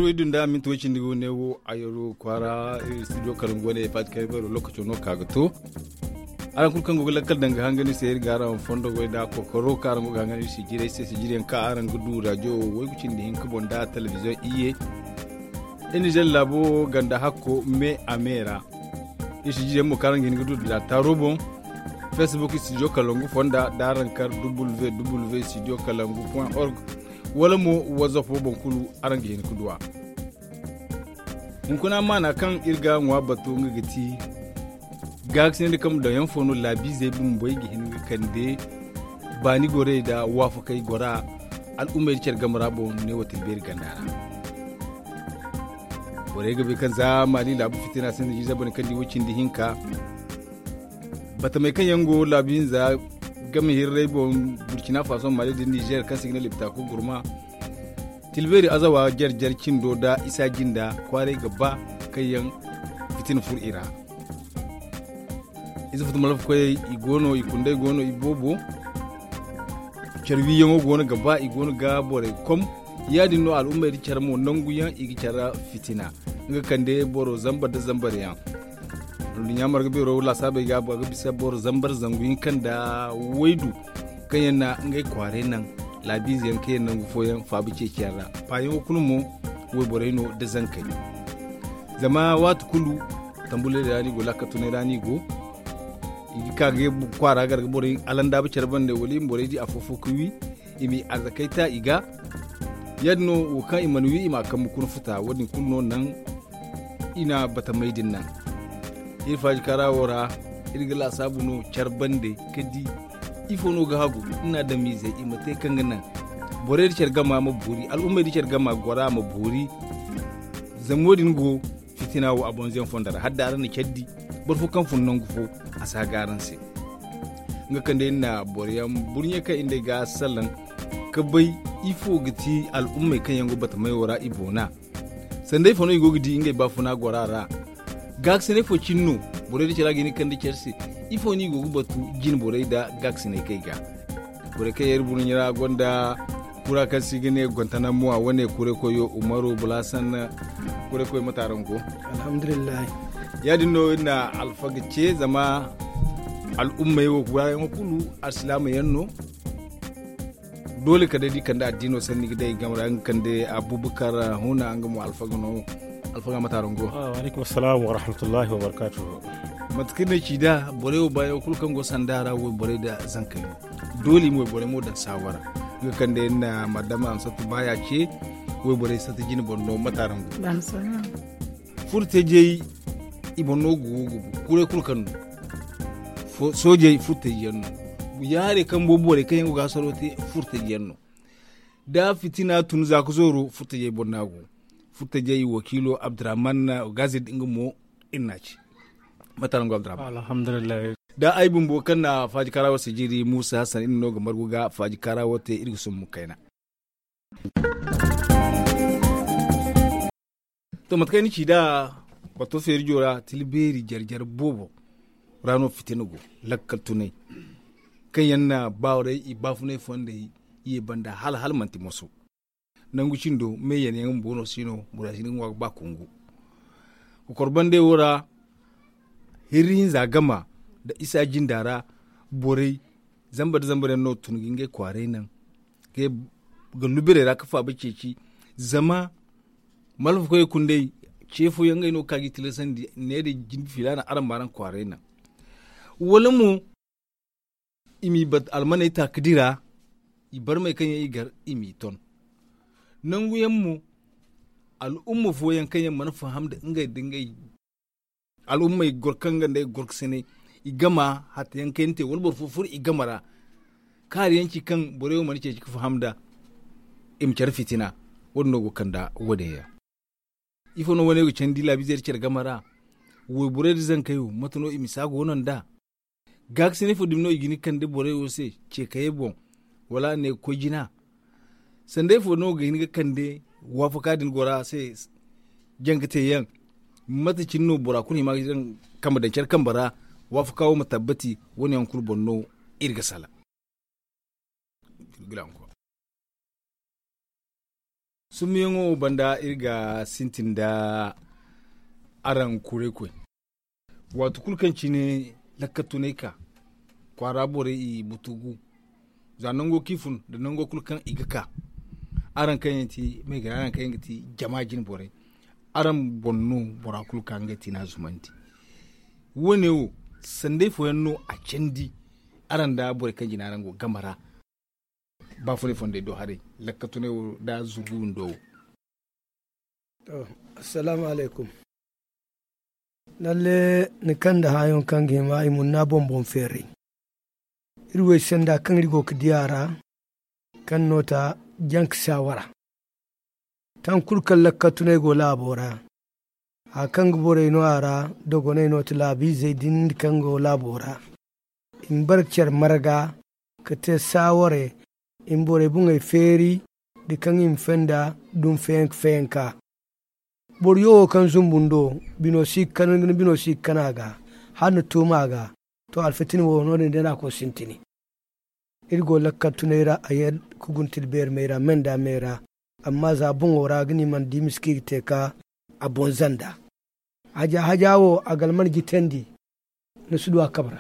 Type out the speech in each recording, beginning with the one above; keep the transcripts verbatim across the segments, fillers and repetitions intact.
Way din da minti way cindi go ne wo a yaro kwaara studio karangu wane faati kay bayro lokaco no ka ga to. Araŋ kulu kaŋ go ga lakkal daŋ ga hangan iri se iri ga araŋ fondo goy da kokoro kaŋ araŋ go ga hangan iri sijirey se sijiriyaŋ kaŋ araŋ ga du radio wo way ga cindi hinka boŋ da telebiziyoŋ iyye. Iri nizer laabo ganda hakko me a me ra. Iri sijiriyaŋ mo kaŋ araŋ ga hin ga du da taaro boŋ. Facebook studio kalangu fonda da araŋ kar www studio kalangu point org. Wala mo whatsapp wo boŋ kulu araŋ ga hin ga du a. Hunkuna maana kaŋ iri ga ŋwa batu nga ga ti gaakasinay nda kambe daŋyaŋ fo no laabiizey bumbey ga hin ga kande baani gorey nda waafakey gora al'ummey nda care game ra boŋ ne wo tilbeeri ganda ra. Borey ga bay kaŋ za maali laabu fitina sinda jiiza bane kaŋ di way cindi hinka. Batamey kaŋ yaŋ go laabu hinza game hirrey boŋ, burkina faso maali nda nizer kaŋ se i ga ne liptaku gurma. Tilbeeri azawa jare-jare cindo nda isa jinda kwaaray ga ba kaŋ yaŋ fitina furo i ra. Ize futu malfa koyey i go no i kundey go no i boobo. Care wiiyaŋo go no ga ba i go no ga borey kom. Ya- din no al'ummey nda care mo nangu yaŋ i ga care fitina nga kande boro zambar nda zambar yaŋ. Dunduɲɲa marga beero laasaabey ga a ga bisa boro zambar zangu hinka nda waydu kaŋ yaŋ na ngey kwaaray naŋ laabiize yaŋ kaŋ yaŋ nangu fooyaŋ faaba ceeciyaŋ ra. Paayaŋo kulu mo wayborey no nda zankey. Zama waati kulu tambuley ra no i go laakal tunay ra no i go. I ga ka ga kwaara gar ga borey alandaaba care bande wala i ma borey di afo-fo ga wi. I m'i arzakey ta i ga ya- din no wo kaŋ i mana wi i m'a kambe kuna futa wo- din kulu no naŋ i na batamey din naŋ. Iri faaji kaara wo ra iri ga laasaabu no care bande ga di ifo no ga hagu. Iri na damiizey i ma te kaŋ ga naŋ borey nda care gama ma boori al'ummey nda care gama gora ma boori. Zama wo- din go fitina wo a bonzoyaŋ fonda ra hala da araŋ na care di boro fo kaŋ fun nangu fo a si haga araŋ se. Nga kaŋ day iri na boro yaŋ burɲe kaŋ iri nd'ey ga salaŋ ga bay ifo ga ti al'ummey kaŋ yaŋ go batamey wo ra i boona. Sanday fo no i go ga di ngey baafuna gora ra. Gaakasinay fo cine no borey nda care a ga hin ga kande care se. Ifo no i go ga batu jine borey nda gaakasinay kaŋ i ga borey kaŋ yaŋ iri burɲe ra gonda kura kaŋ se i ga ne gontanamo a wane kuray koyo umaru bulasan. Kuray koyo mate araŋ go? Alhamdulillahi. Ya- din no iri na alfaga ce zama al'ummey wo kurayaŋo kulu alsilaama yaŋ no. Doole kala day da i kande addiino sanni ga day i game ra nga kande abubakar huna nga mo alfaga no. Alfaga mate araŋ go? Waaleykum assalaam warahmatullahi wabarakaatuhu. Mate kaŋ iri na ci nd'a borey wo baayaŋo kulu kaŋ go sanda ra wayborey nda zankey no. Doole i ma wayborey mo daŋ saawara nga kaŋ day iri na madama amsatu baaya ce. Wayborey sata jine boŋ no mate araŋ go? Furtajey i boŋ no gugu gugu kuray kulu kaŋ no. Soojey furtajey yaŋ no. Yaarey kaŋ boobo borey kaŋ yaŋ go ga hasaro te furtajey yaŋ no. Da fitina tun za ka zooro furtajey boŋ no a go. Furtajey wakiilo abdurrahman gazid nga mo iri n'a ci. Mate araŋ go abdurrahman? Alhamdulillahi. Da ay bumbo kaŋ na faaji kaara wo sijiri muusa hassan iri no ga margu ga faaji kaara wo te iri ga sumbu kayna. To mate kaŋ ay na ci nd'a wato feeri jo ra tila beeri jare jare boobo ra no fitina go. Lakkal tunay kaŋ yaŋ na baawarey i baafunay fondey i ye banda hala hala manti moso. Nangu cindo me yanayaŋ bumbo no si no bora si ni ga ŋwa ga ba kungu. Kokor bandey wo ra hirri hinza gama nda isa jinda ra borey zambar nda zambar yaŋ no tun ga ngey kwaaray naŋ ga lubirey ra ga faaba ceeci. Zama malfa koyey kundey ce fooyaŋ ngey no ga ka ga i tilasandi ne da jinde filaana araŋ ma araŋ kwaaray naŋ. Wala mo i m'i bat almaney ta ga dira i barmey kaŋ yaŋ i gar i m'i ton. Nangu yaŋ mo al'umma fooyaŋ kaŋ yaŋ mana faham nda ngey nda ngey al'ummey goro kaŋ ga nda ay goro ga sinay i gama hatta yaŋ kayna te wala boro fo furo i gama ra. Kaari yaŋ ci kaŋ borey wo mana ceeci ga faham nda i ma care fitina. Wo- din no go ga kand'a wo- din yaŋ. Ifo no wane go ga candi laabiizey nda care game ra? Wayborey nda zankey wo mate no i ma si a go no nd'a? Gaakasinay fo dumi no i ga hin ga kande borey wo se ceekayey boŋ wala a ne ga koy jina? Sanday fo no ga hin ga kande waafaka din gora se? Jangateyaŋ mate cine no bora kulu hima ga daŋ kambe daŋ care kambe ra? Waafaka wo ma tabbati wane yaŋ kulu boŋ no iri ga salaŋ. Summiyaŋo banda iri ga sintin nda araŋ kuraykoy. Waati kulu kaŋ cine lakkatunay ka kwaara borey i butugu, za nango kaŋ i fun nda nango kulu kaŋ i ga ka, araŋ kaŋ yaŋ ti maygara araŋ kaŋ yaŋ ga ti jama jine borey, araŋ boŋ no bora kulu ka ngey tiina zumandi. Wo- ne wo sanday fooyaŋ no a candi araŋ nda borey kaŋ jina araŋ go game ra. Baafunay fondey do haray lakkatunay wo nda zurgu windo wo. To, assalaamu alaykum. Lalle ni kaŋ nda haayaŋ kaŋ ga hima i munna boŋ-boŋ feeray. Iri wey senda kaŋ iri go ga di a ra kaŋ no ta janka saawara. Taŋ kulu kaŋ lakkatunay go laabo ra, haya kaŋ ga borey no a ra, dogonay no ti laabiizey din kaŋ go laabo ra. I ma bare ga care marga ka te saaware, i ma borey buŋey feeri nda kaŋ i ma fenda dumi feyanka feyanka. Boro yo wo kaŋ zumbu ni do, bino si ga kan a ga hala ni tuuma a ga. To, alfitina wo no- din day no a koy sintini. Iri go lakkal tunay ra a ye ga guntil beeri may ra me nda me ra. Amma za boŋo ra ga ni mana di miski ga te ka a boŋ zanda. Haja haja wo a ga alman jitandi. Ni si du a kabe ra.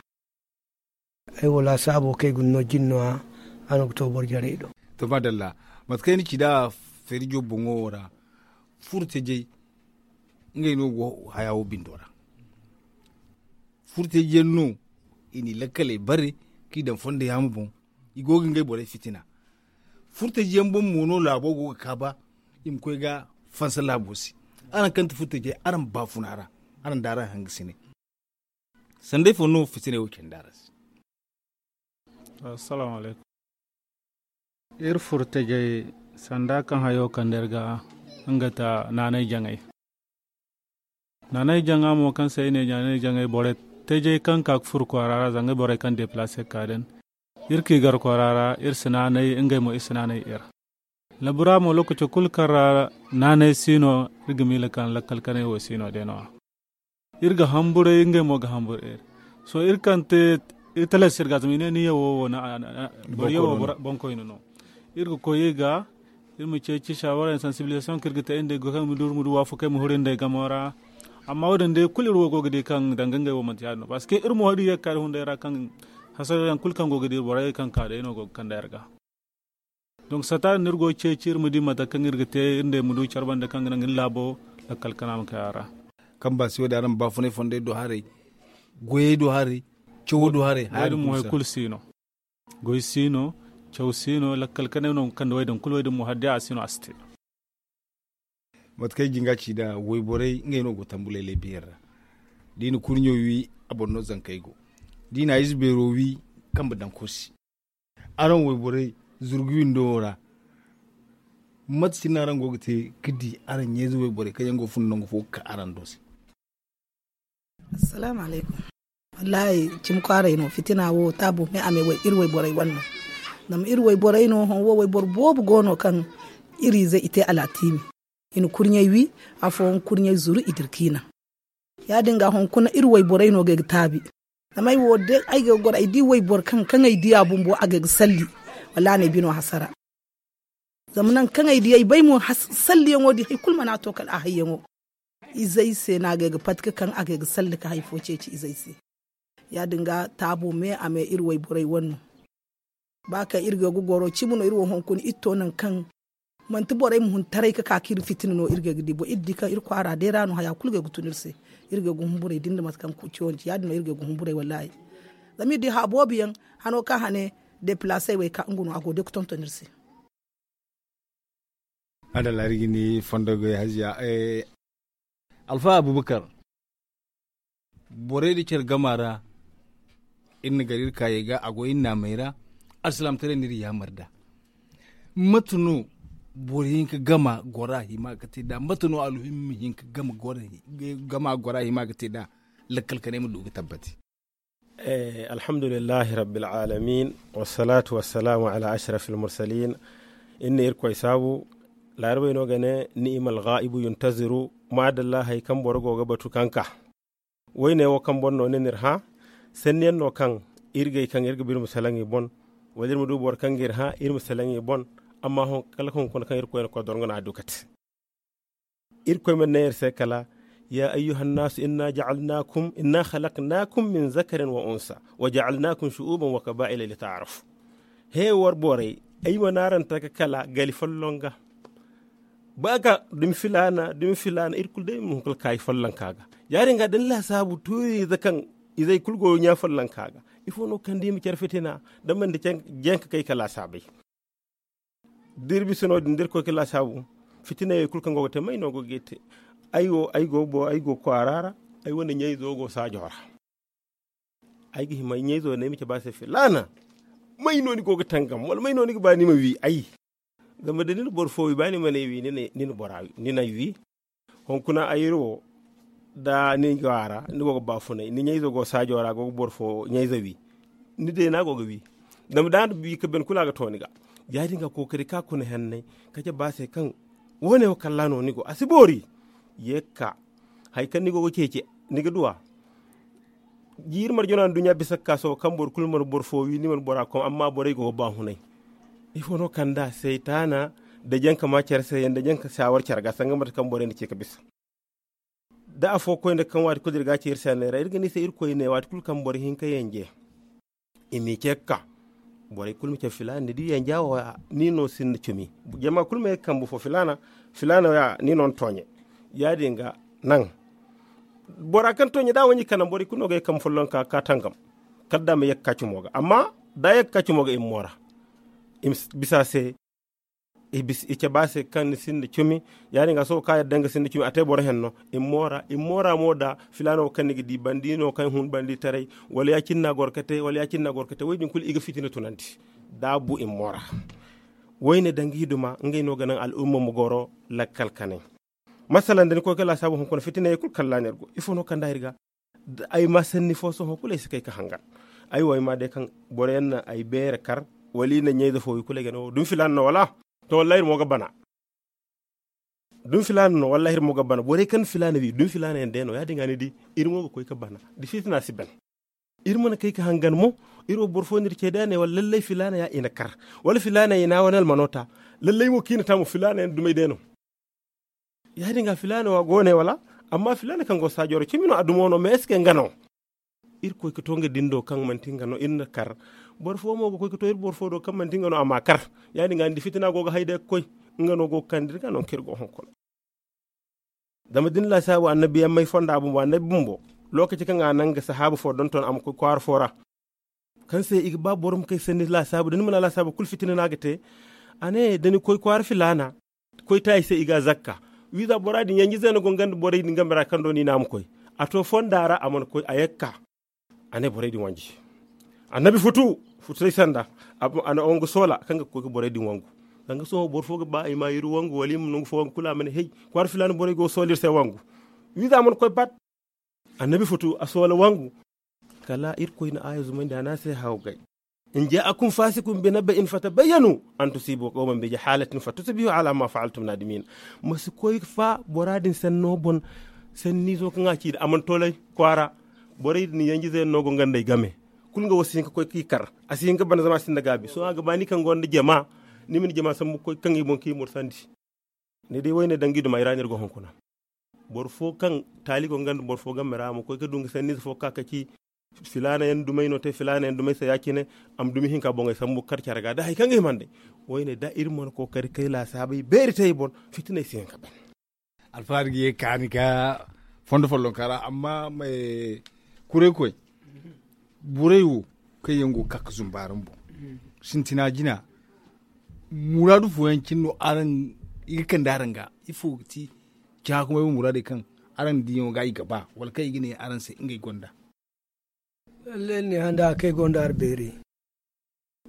Ay wo laasaabo kaŋ ay ga ni no jine no- ya. A no ga to boro jarey do. To madalla, mate kaŋ ay na ci nd'a feerijo boŋo wo ra, furtajey ngey no go haya wo bindo ra. Furtajey yaŋ no i n'i lakkaley bare, kaŋ i daŋ fondo yaama boŋ. I go ga ngey borey fitina. Furtajey yaŋ boŋ mo no laabo go ga kaaba. I ma koy ga fansa laabo se. Araŋ kaŋ ti furtajey, araŋ baafuna ra, araŋ da araŋ hangasinay. Sanday fo no fitinay wo candi araŋ se? Assalaamu alaykum. Iri furtajey sanda kaŋ hayo kande iri ga, nga ta naanay jaŋay. Naanay jaŋa mo kaŋ se i ne naanay jaŋay, borey tajey kaŋ ka ga furo kwaara ra, zanga borey kaŋ deplace ga ka din. Iri ka i gar kwaara ra, iri si naanay, ngey mo iri si naanay iri. Labura mo, lokaco kulu kaŋ ra naanay si no, iri ga miila kaŋ lakkal kanay wo si no day no- ya. Iri ga hamburay, ngey mo ga hamburay iri. Sohõ iri kaŋ te, iri talas iri ga, zama i ne ni yawo wo, boro yawo boŋkoyne no. Iri ga koy i ga, iri ma ceeci saawara, sensibilisation kaŋ iri ga te iri nd'ey go kaŋ iri ma du, iri ma du waafakey ma huru iri nd'ey gamo ra. Amma wo- din day kulu iri wo go ga di kaŋ danga ngey wo manti ya- din no, parce que iri mo iri ye ga ka iri hunday ra kaŋ hasarayaŋ kulu kaŋ go ga di borey kaŋ ka day no go ga kande iri ga. Donc sata din no iri go ga ceeci iri ma di mate kaŋ iri ga te iri nd'ey ma du care banda kaŋ ga naŋ iri laabo lakkal kana ma kay a ra. Kaŋ ba si wo- din araŋ ma baafunay fondey do haray, goyey do haray, cawo do haray. Haya din mo hay kulu si no. Goy si no, caw si no, lakkal kanay no ga kande wo- din kulu, wo- din mo hala day a si no a si te. Mate kaŋ ay jin ga ci nd'a, wayborey ngey no go tambulay lay beeri ra. Da i na kurɲo wi, a boro no zankey go. Da i na ize beero wi, kambe daŋ kursi. Araŋ wayborey zurgu windo wo ra, mate cine no araŋ go ga te ga di araŋ ɲayze wayborey kaŋ yaŋ go ga fun nangu fo ga ka araŋ do se? Assalaamu alaykum. Wallaahi, cimi kwaaray no, fitina wo taabo me a me iri wayborey wane no. Zama iri wayborey no hõ wo wayboro boobo go no kaŋ iri izey i te alaatiimi. I na kurɲey wi, afooyaŋ kurɲey zuru i dira k'i naŋ. Ya- din ga hunkuna iri wayborey no ga ay ga taabi. Zama ay wo day ay ga goro ay di wayboro kaŋ kaŋ ay di a bumbo a ga ay ga salli. Wallaahi n'ay bino hasara. Zama nangu kaŋ ay di ay bay mo salliyaŋo di hari kulu mana to kala a hayyaŋo. Izey se no a ga ay ga pati ga kaŋ a ga ay ga salli ga hari fo ceeci izey se. Ya- din ga taabo me a me iri wayborey wane no. Ba kaŋ iri go ga goro cimi no iri wo hunkuna iri to nangu kaŋ manti borey ma hun taray ga ka kaŋ iri fitina no iri go ga di bo iri di kaŋ iri kwaara day ra no haya kulu go ga tun iri se. Iri go ga humburay da ni na mate kaŋ ga ciwandi ya- din no iri go ga humburay wallaahi. Zama iri di haya boobo yaŋ hano kaŋ hane deplace ay wo ay ka nga no a go day ga tonton iri se. Adalla iri ga ni fondo goy haziya. Alfa abubakar, borey da care gama ra iri na gar iri kaayey ga a go iri naamey ra. Alsilaamataray no iri yaamar nd'a. Mate no boro hinka gama gora hima ga te nd'a mate no alhummi hinka gama gora hima ga te nd'a? Lakkal kanay ma du ga tabbati. Alhamdulillahi rabbil alamin, wassalatu wassalamu ala ashrafil mursalin. Iri na irkoy saabu. Laarabey no ga ne ni'imal gaa'ibu yuntaziru. Maadalla hari kaŋ boro go ga batu kaŋ ka. Woyne wo kaŋ boro no ne no iri hã. Sanniyaŋ no kaŋ iri gay kaŋ iri ga ba iri ma salaŋ i boŋ. Wala iri ma du boro kaŋ ga iri hã iri ma salaŋ i boŋ. Amma kala hunkuna kaŋ irkoy na koy dorŋo no a du kate. Irkoy mana ne iri se kala, ya ayyuhan nasu inna ja'alnakum inna khalaqnakum min zakarin wa unsa wa ja'alnakum shu'uban wa qaba'ila li ta'arafu. He war borey, ay mana araŋ taka kala gali folloŋ ga. Ba ga dumi filaana dumi filaana iri kulu day ma hunkuna kaayi folloŋ ka ga. Ya- din ga da ni laasaabu tuuri ize kaŋ izey kulu go ɲa folloŋ ka ga. Ifo no kaŋ da i ma care fitina da mana di jenka kay ka laasaabay. Da iri bisa no- din da iri koy ka laasaabu, fitinayey kulu kaŋ go ga te may no go ga i te? Ay wo ay go kwaara ra, ay wane ɲayzo go saajo ra. Ay ga hima ɲayzo ne ay ma cabe a se filaana, may no ni go ga tangam wala may no ni ga ba ni ma wi ay? Zama da ni na boro fo wi ba ni mana ay wi, ni n'ay wi. Hunkuna ay iri wo da ni go a ra ni go ga baafunay ni ɲayzo go saajo ra go ga boro fo ɲayzo wi. Ni deena go ga wi. Zama da ni wi ka ben kulu a ga to ni ga. Ya- din ga kookari ka kuna henney ka cabe a se kaŋ wo- ne wo kalla no ni go a si boori. Ye ga ka hari kaŋ ni go ga ceeci ni ga du a. Jiiri marjano nduɲɲa bisa ga ka sohõ kaŋ boro kulu mana boro fo wi ni mana bora kom amma borey go ga baahunay. Ifo no kand'a saytaana nda janka ma care se yaŋ nda janka saawar care ga sanga mate kaŋ borey na ce ga bisa. Da afo koy nda kaŋ waati kulu da iri ga a ce iri se a neera iri ga ne i se irkoy ne waati kulu kaŋ boro hinka yanje. I m'i ce ga ka borey kulu ma cabe filaana ni di yanja wo ya ni no sinda cumi. Jama kulu ma ye ga kambu fo filaana filaana wo ya ni no ni tooɲe. Ya- din ga naŋ bora kaŋ tooɲe da a wanji ka naŋ borey kulu no ga ye ga kambu folloŋ ka ga ka tangam. Kala da a ma ye ga ka cumo ga amma da a ye ga ka cumo ga i ma moora. I ma bisa a se i cabe a se kaŋ ni sinda cumi. Ya- din ga sohõ kaŋ a yadda nga sinda cumi a te boro henno. I ma moora i ma moora mo da filaana wo kaŋ ni ga di bandi no kaŋ hun bandi taray wala ya- cine no a goro ga te wala ya- cine no a goro ga te wo- din kulu i ga fitina tunandi. Da a bu i ma moora. Wo- ne danga i duma ngey no ga naŋ al'umma ma goro lakkal kanay. Masalan da ni koy ga laasaabu hunkuna fitinayey kulu kalla no iri go ifo no kand'a iri ga? Ay ma sanni fo sohõ kulu ay si kay ga hangan. Ay wo ay ma day kaŋ boro yaŋ na ay beere kar wala i na ɲayze fo i kulu ay ga ne wo dumi filaana no wala? To wallaahi iri mo ga bana. Dumi filaana no wallaahi iri mo ga bana borey kaŋ na filaana wi dumi filaana yaŋ day no ya- din ga ni di. Iri mo ga koy ga bana da fitina si ban. Iri mana kay ga hangan mo. Iri wo boro fo no iri ce day a ne wala lallay filaana ya i na kar wala filaana i na a wane almano ta. Lallay wo kaŋ i na ta mo filaana yaŋ dumey day no. Ya- din ga filaana wo a go ne wala? Amma filaana kaŋ go saajo ra cimi no a dumo no mais est ce que nga no? Iri koy ga to nga dindo kaŋ manti nga no iri na kar. Boro fo mo ga koy ga to iri boro fo do kaŋ manti nga no a ma kar. Ya- din ga ni di fitina go ga hay day ga koy. Nga no go ga kande iri ga no kaŋ iri go hunkuna. Zama da ni laasaabu annabiyaŋ may fonda bumbo annabi bumbo. Lookaci kaŋ a naŋ ga sahaabu fo donton a ma koy kwaara fo ra. Kaŋ se i ga ba boro ma kay sanni laasaabu da ni mana laasaabu kulu fitina no a ga te. A ne da ni koy kwaara filaana koy te ay se i ga a zakka. Wiiza bora din yanjize no go nga nda borey din game ra kaŋ do ni ne a ma koy. A to fonda ra a mana koy a ye ga ka. A ne borey din wanji. Annabi futu futu day sanda. A na wangu soola kaŋ ga koy ga borey din wangu. Danga sohõ boro fo ga ba i ma iri wangu wala i ma nangu fo wangu kulu a ma ne hey, kwaara filaana borey go ga soola iri se wangu. Wiiza mana koy bat. Annabi futu a soola wangu. Kala irkoy na aaya zumandi a ne a se hawgay. In ja'akum fasiqun bi naba'in fatabayyanu an tusibu qawman bi jahalatin fatusbihu ala ma fa'altum nadimin. Ma si koy fa bora din sanno boŋ. Sanniizo kaŋ a ci da a mana tolay kwaara. Borey din yanjize yaŋ no go nga nd'ey game. Kulu nga wo si hin ga koy ga i kar. A si hin ga bana zama a sinda gaabi sohõ a ga ba ni kaŋ gonda jama. Ni ma ni jama sambu ga koy ga kaŋ i boŋ ga i mursandi. Ni di wayne danga i duma i ra no iri go hunkuna. Boro fo kaŋ taali go nga nda boro fo game ra a ma koy ga du nga sanniize fo ga ka ga ci. Filaana yaŋ dumey no te filaana yaŋ dumey se ya- cine. A ma dumi hinka boŋey sambu ga kar care ga da hari kaŋ ga hima nd'ey. Wayne da iri mana kookari kay laasaabey beeri te i boŋ. Fitiney si hin ga ban. Alfahaari ga ye ga kaani ga fondo follonka ra amma kuray koy. Borey wo kaŋ yaŋ go ga ka ga zumba araŋ boŋ. Sintina jina muraadu fooyaŋ cine no araŋ i ga kande araŋ ga. Ifo ga ti cahã kumay wo muraadey kaŋ araŋ diyaŋo ga i ga ba wala kaŋ i ga ne araŋ se ngey gonda? Lalle ni ne handa kaŋ ay gonda ara beeri.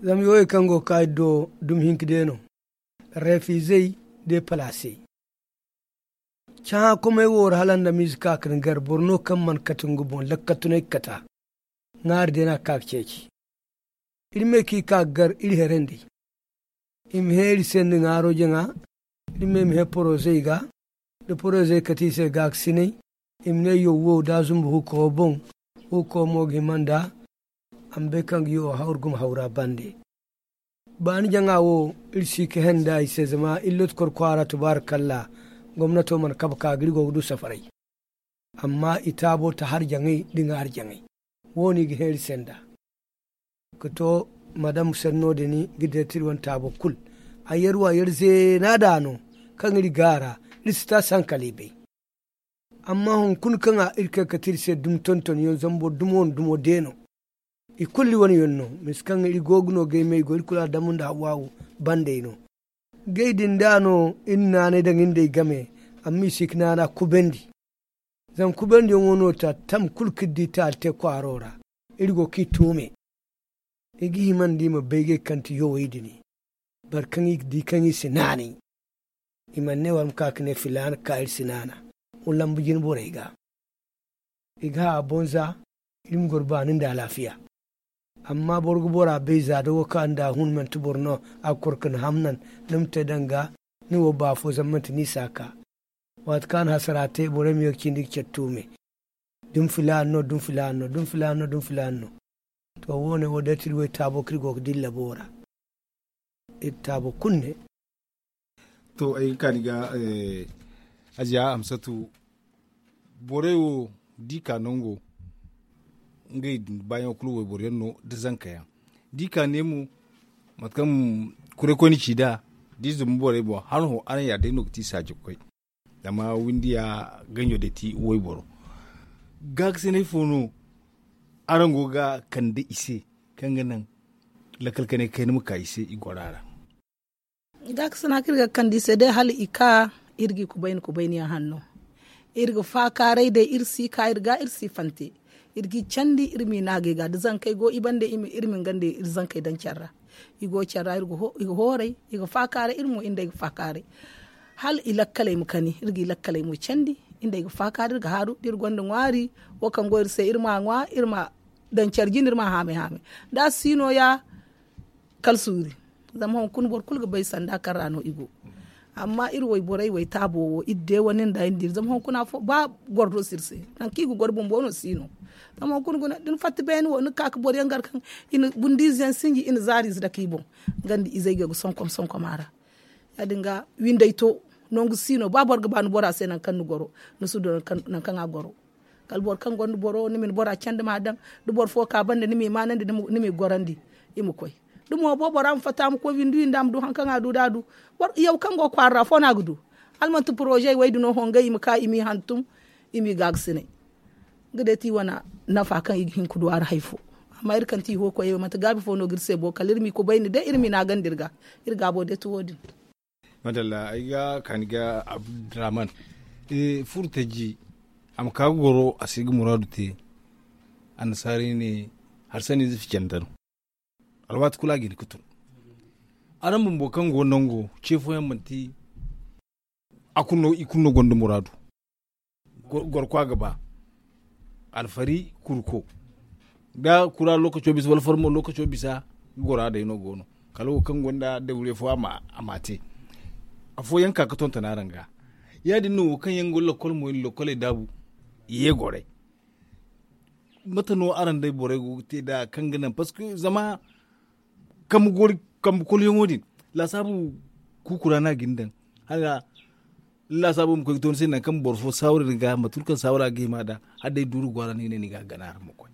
Zama yooyey kaŋ go ga ka iri do dumi hinka day no. Refizey de palaasey. Cahã komey wo ra hala nda ma ize ka ga ni gar boro no kaŋ mana kate nga boŋ lakkatunay ga kata. Ŋwaari day no a ga ka ga ceeci. Iri me kaŋ i ka ga gar iri herandi. I ma hẽ iri se nda ŋwaaro jaŋa. Iri me ma hẽ porozey ga. Da porozey kate i se gaakasinay. I ma ne yaw wo da a zumbu huuko boŋ. Huuko mo ga hima nda a ma bay kaŋ ga yaw hawru gumo hawra bande. Baani jaŋa wo, iri si ka henda i se zama iri looti kor kwaara tubaara kalla. Gomnato mana kabe ka ga iri go ga du safaray. Amma i taabo ta har jaŋay da nga har jaŋay. Wo- ne i ga hẽ iri se nda ka to madam senno din ga deeti iri wane taabo kulu. A yar wo a yar zeena da no kaŋ iri gaara. Iri si taasi hankali bay. Amma hunkuna kaŋ a iri kay kate iri se dumi tonton yaŋ zama boro dumo wane dumo de no. I kulu iri wane yaŋ no. Misa kaŋ iri go ga no gay me i go iri kulu a damu nda hawaawu. Bandey no gay din da no iri naanay daŋ iri nd'ey game. Amma i si ga naana kubandi. Zama kubandi yaŋo no ta tam kulu kaŋ iri di taali te kwaaro ra. Iri go ga i tuume. I ga hima nda i ma bay gay kaŋ ti yowey din. Boro kaŋ i ga di kaŋ i si naanay. I mana ne war ma ka ga ne filaana ka iri si naana. Wa lambu jine borey ga. I ga hã a boŋ za iri ma goro baani nda alaafiya. Amma boro ga bora bay za da wo ka nda a hun manti boro no. A ga kor ka ni hamnan ni ma te danga ni wo ba afo zama manti ni si a ka. Waati kaŋ a na hasara te borey ma ye ga cindi ga care tuume. Dumi filaana no dumi filaana no dumi filaana no dumi filaana no. To wo- ne wo day ti iri wo iri taabo kaŋ iri go ga dilla boora. Iri taabo kulu ne. To ay ga kaani ga aziya hamsatu. Borey wo da i ka nango ngey din baayaŋo kulu wayboro yaŋ no da zanka yaŋ. Da i ka ne mo mate kaŋ kuray koyne ci nd'a da i zumbu borey boŋ hala hõ araŋ ya day no ga ti saaji ga koy. Zama windiya ganjo day ti wayboro. Gaakasinay fo no araŋ go ga kande i se kaŋ ga naŋ lakkal kanay kayna ma ka i se i goro a ra? Gaakasina kaŋ iri ga kande i se day hala i ka iri ga i kubayni kubayni yaŋ hanno. Iri ga faakaaray day iri si ka iri ga iri si fante. Iri ga i candi iri m'i naagay ga da zankey go i bande iri ma nga nda iri zankey daŋ care ra. I go care ra i ga hooray i ga faakaaray iri mo iri nd'ey ga faakaaray. Hala i lakkaley ma kani iri ga i lakkaley mo candi. Iri nd'ey ga faakaaray iri ga haaru da iri gonda ŋwaari wo kaŋ go iri se iri m'a ŋwa iri ma daŋ care jine iri m'a haamay haamay. Da a si nooya kala suuri. Zama hunkuna boro kulu ga bay sanda kaŋ ra no i go. Amma iri wayborey waytaabo wo iri deewane nda iri nda iri zama hunkuna afo ba goro do si iri se. Nangu kaŋ i ga goro bumbo no si no. Zama hunkuna guna da ni fatta beene wo ni ga ka ga boro yaŋ gar kaŋ i na bundiize yaŋ sinji i na zaari ize dake i boŋ. Nga nda izey ga ga sonkom sonkom a ra. Ya- din ga windey to nangu si no ba boro ga ba ni bora se nangu kaŋ ni goro ni si du nangu kaŋ a goro. Kala boro kaŋ gonda boro ni ma ni bora candi ma a daŋ. Da boro fo ka banda ni m'i maanandi ni m'i gorandi i ma koy. Da mo bo bora ma fatta ma koy windi windi a ma du hari kaŋ a du da a du. Yaw kaŋ go kwaara ra afo no a ga du. Hala manti poroze wey din no hongey i ma ka i m'i hantum i m'i gaagasinay. Nga day ti i wane nafa kaŋ i ga hin ga du a ra hari fo. Amma iri kaŋ ti i ho koyey wo manti gaabi fo no ga iri se bo kala iri m'i kubayni day iri m'i naagandi iri ga. Iri gaabo day ti wo- din. Madalla ay ga kaani ga abdurrahman furo tajji. A ma ka ga goro a si ga muraadu te. Annasaarey ne hari sanni ize ficandan. Alwaati kulu a ga hin ga tun. Araŋ bumbo kaŋ go nango ce fooyaŋ manti a kulu no i kulu no gonda muraadu. Gorko a ga ba alfari kurko da kura lokaco bisa wala farmo lokaco bisa. Gora day no go no kala wo kaŋ gonda dawre fo a ma te. Afooyaŋ ka ga tonton araŋ ga ya- din no wo kaŋ yaŋ go lakkol mo i na lakkoley daabu i ye goray. Mate no araŋ day borey go ga te nd'a kaŋ ga naŋ parceque zama kambe kulu yaŋo din laasaabu kuukura no a ga ni daŋ. Hala laasaabu ma koy ga to ni se nangu kaŋ boro fo saawara ni ga mate kulu kaŋ saawara ga hima nd'a. Hala day duuru go a ra no i ne ni ga a gana araŋ ma koy.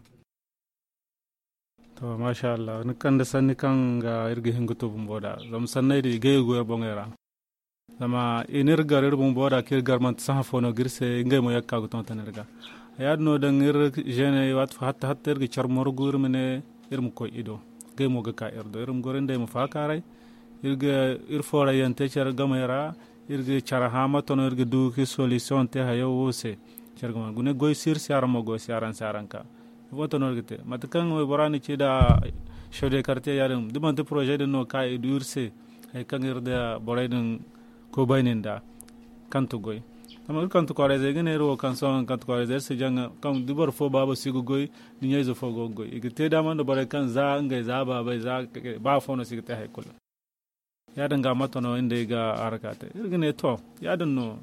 To masha allah ni kande sanni kaŋ ga iri ga hin ga to bumbo nd'a zama sanney din i gay ga goyo boŋey ra. Zama i n'iri gar iri bumbo nd'a kaŋ iri gar manti sahã fo no ga iri se ngey mo ye ga ka ga tonton iri ga. Ya- din no daŋ iri zeeney waati fo hatta hatta iri ga care morgu iri ma ne iri ma koy i do. Ngey mo ga ka iri do iri ma goro nd'ey ma faakaaray. Iri ga iri foorayyaŋ te care gamey ra. Iri ga care hã mate no iri ga du ga solisiyoŋ te hayo wo se. Care gamey gune goy si iri se araŋ mo goy si araŋ se araŋ ka ifo to no iri ga te mate kaŋ waybora na ci nd'a. Shodekarte ya- din da manti poroze din no ka i du iri se. Hari kaŋ iri nda borey din kubayni nd'a. Kante goy zama iri kante kwaarayzey ga ne iri wo kaŋ sohõ kante kwaarayzey iri si jaŋa kaŋ da boro fo baabo si ga goy. Da ɲayze fo go ga goy i ga te daama nda borey kaŋ za ngey za baabey za ba afo no si ga te hari kulu. Ya- din ga mate no iri nd'ey ga haraka te iri ga ne to ya- din no.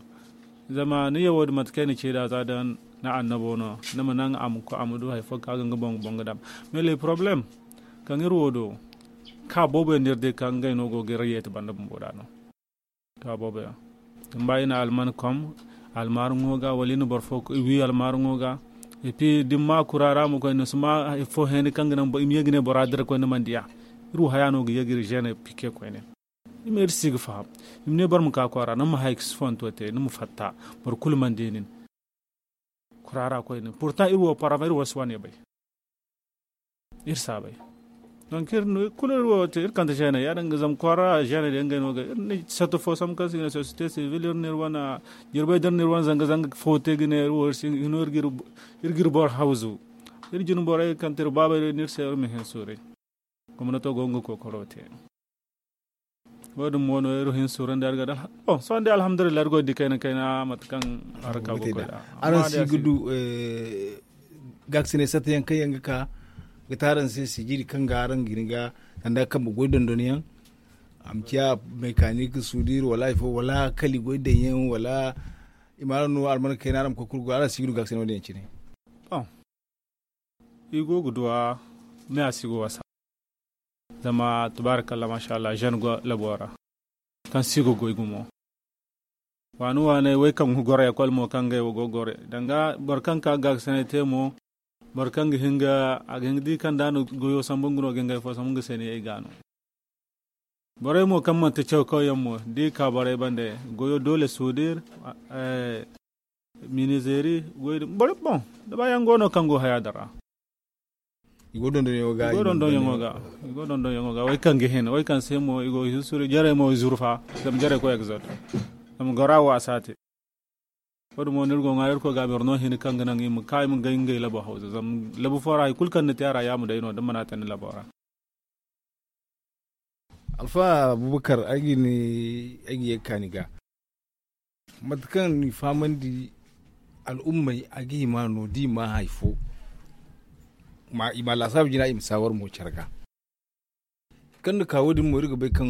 Zama ni ye wo- din mate kaŋ ay na ci nd'a za da ni annabo no ni ma naŋ a ma du hari fo kaŋ a ga nga boŋ ga boŋ ga daama. Mais le poroblem kaŋ iri wo do Ka boobo yaŋ no iri di kaŋ ngey no go ga iri yeeti banda bumbo da no. Ka boobo yaŋ, din ba i na alman kom almaaru ŋo ga wala i na boro fo wi almaaru ŋo ga. Epi da ni ma kura ra ma koy ni si ma hari fo hẽeni kaŋ ga naŋ i ma ye ga ne bora dira koy ni mana diya. Iri wo haya no ga ye ga iri zeene pike koyne. I ma iri si ga faham. I ma ne boro ma ka kwaara ni ma hay ga si fonto te ni ma fatta. Boro kulu mana di nin kuraara koyne pourtant iri wo parama iri wo si wane bay. Iri si a bay. Donc iri no kulu iri wo te iri kande zeene ya- din ga zama kwaara zeene din ngey no ga iri ne sato fo sambu kaŋ se i ga ne société civile iri no iri wane jirbey da iri no iri wane zanga zanga fo te ga ne iri wo iri si hino iri ga iri boro hawzu. Iri jine borey kaŋ te iri baabey day no iri se iri ma hin suuray. Gomnato go nga kookaro te. Wo- din mo no iri hin surandi iri ga da. Bon sohõ day alhamdulillahi iri go ga di kayna kayna mate kaŋ haraka go ga koy da. Araŋ si ga du gaakasinay satta yaŋ kaŋ yaŋ ga ka ga te araŋ se sijiri kaŋ ga araŋ ga hin ga sanda kambe goy dondon yaŋ. A ma ciya mekanik sudir wala hari fo wala kali goy daŋ yaŋ wala i ma araŋ no alman kayna araŋ ma koy kulu go araŋ si ga du gaakasinay wo- din yaŋ cine. I go ga duwa me a si go wasa. Zama tabarakalla mashallah jeune go labo ra kaŋ si go goy gumo. Waani waaney wey kaŋ go goro ekol mo kaŋ ngey wo go goro danga boro kaŋ ka gaakasinay te mo. Boro kaŋ ga hin ga a ga hin ga di kaŋ da a na goyo sambu nga no ga ngey fo sambu nga se ne ay ga no. Borey mo kaŋ manti caw kaw yaŋ mo da i ka borey bande goyo doole sudir. Minizeri goy din borey boŋ da ba yaŋ go no kaŋ go haya din ra. I go dondonyaŋo ga i go dondonyaŋo ga way kaŋ ga hin way kaŋ se mo i go hin suru jarey mo i zurfa. Zama jarey koy exode zama gora wo a si a te. Wo- din mo no iri go ŋwa iri koy ga boro no hin kaŋ ga naŋ i ma ka i ma gay ngey labo hawza zama labu fo ra hari kulu kaŋ ni te a ra ya ma day no da mana te ni labo ra. Alfa abubakar ay ga ye ga kaani ga mate kaŋ ni fahamandi al'ummey a ga hima no da i ma hari fo i ma laasaabu jina i ma saawar mo care ga. Kaŋ ni ka wo- din mo iri ga bay kaŋ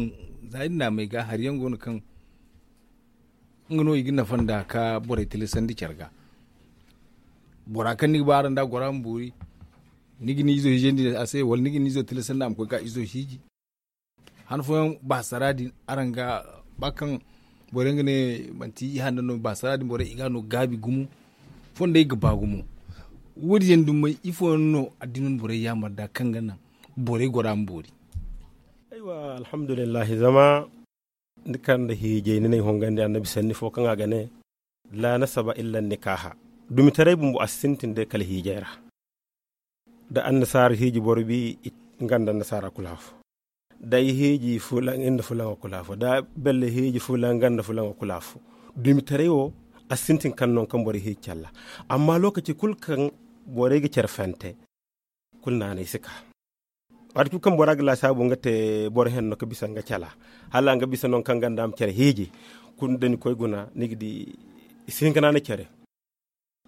za iri naamey ga hari yaŋ go no kaŋ nga no i ga nafa nda ka borey tilasandi care ga. Bora kaŋ ni ga ba araŋ da a gora ma boori ni ga ni izo hiijandi a se wala ni ga ni izo tilasandi a ma koy ga izo hiiji. Han fooyaŋ baasara din araŋ ga ba kaŋ borey ga ne manti i hanna no baasara din borey i ga no gaabi gumo. Fondey ga ba gumo. Wo- din yaŋ dumey ifo yaŋ no addina borey yaamar da kaŋ ga naŋ borey gora ma boori? Aywa alhamdulillahi zama ni kande hiijay ni n'ay hongandi annabi sanni fo kaŋ a ga ne, la nasaba illa nikaha. Dumitaray bumbo a si sintin day kala hiijay ra. Da annasaara hiiji boro bi nga nda annasaara kulu afo. Da ay hiiji fulaŋ nga nda fulaŋo kulu afo da belle hiiji fulaŋ nga nda fulaŋo kulu afo. Dumitaray wo a si sintin kaŋ no kaŋ boro hiiji calla. Amma lokaci kulu kaŋ borey ga care fante kulu naanay si ka. Waati kulu kaŋ bora ga laasaabu nga te boro henno ga bisa nga cala hala nga bisa no kaŋ ganda ma care hiiji. Kulu da ni koy guna ni ga di i si hin ga naanay care.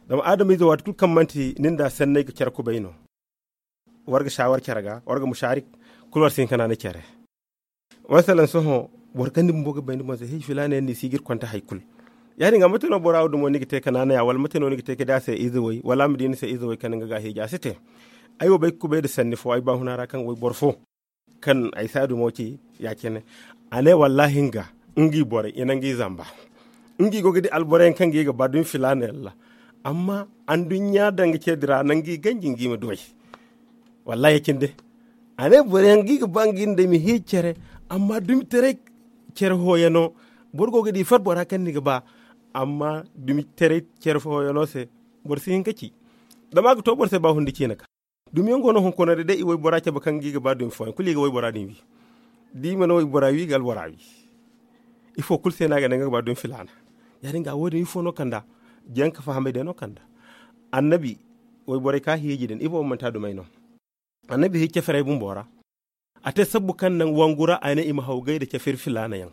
Zama adamize waati kulu kaŋ manti nin da sanney ga care kubay no. War ga saawar care ga war ga musarik kulu war si hin ga naanay care. Masalan sohõ boro kaŋ ni bumbo ga bay ni boŋ se hiiji filaana yaŋ no i si ga iri konte hari kulu. Ya- din ga mate no bora wo dumo ni ga te ga naanaya wala mate no ni ga te ga di a se ize way wala a ma di ni se ize way kaŋ ni ga ga hiiji a si te. Ay wo bay ga kubay nda sanni fo ay baahuna ra kaŋ wayboro fo kaŋ ay si a dumo ci ya- cine. A ne wallahi nga nga i borey i na nga i zamba. Nga i go ga di alboro yaŋ kaŋ ga i ga ba dumi filaana yaŋ ra. Amma anduɲɲa danga ce din ra nangu i ganji nga i ma dumey. Wallahi ya- cine day. A ne boro yaŋ ga i ga ba nga i nda i ma hiiji care. Amma dumitaray care hooyano boro go ga di far bora kaŋ ni ga ba. Amma dumitaray care hooyano se boro si hin ga ci. Zama a ga to boro se ba hundi ciina ga. Dumiyaŋ go no hunkuna day day i waybora cabe kaŋ ga i ga ba dumi fooyaŋ kulu i ga waybora din wi. Da i mana waybora wi i ga albora wi. Ifo kulu se no a ga ne nga ga ba dumi filaana. Ya- din ga wo- din ifo no kanda. Janka fahamay day no kanda. Annabi wayborey ka hiiji din ifo manti a dumey no. Annabi hiiji caferey bumbo ra. A te sabbu kaŋ naŋ wangu ra a ne i ma haw gay nda cafir filaana yaŋ.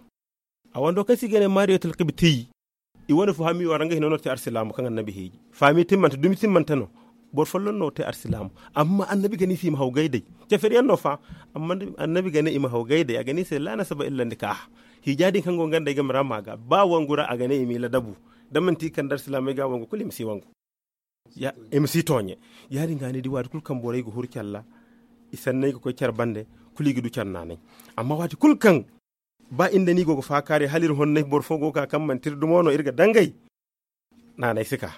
A wando kaŋ se i ga ne mariyatul kibti. I wane fo hami wara nga hino no te arsilaamu kaŋ annabi hiiji. Fami timmante dumi timmante no. Boro folloŋ no te arsilaamu. Amma annabi ga ne i se i ma haw gay day. Cafir yaŋ no fa. Amma annabi ga ne i ma haw gay day a ga ne i se la nasaba illa nikaha. Hiija din kaŋ go nga nda ay game ra ma ga ba wangu ra a ga ne i m'i ladabu. Da manti i kande arsilaamey ga wangu kulu i ma si wangu. I ma si tooɲe. Ya- din ga ni di waati kulu kaŋ borey ga huru care ra i sanney ga koy care bande. kulu i ga du care naanay. Amma waati kulu kaŋ ba iri nda ni go ga faakaaray hala iri honnay boro fo go ga ka kaŋ manti iri dumo no iri ga dangay. Naanay si ka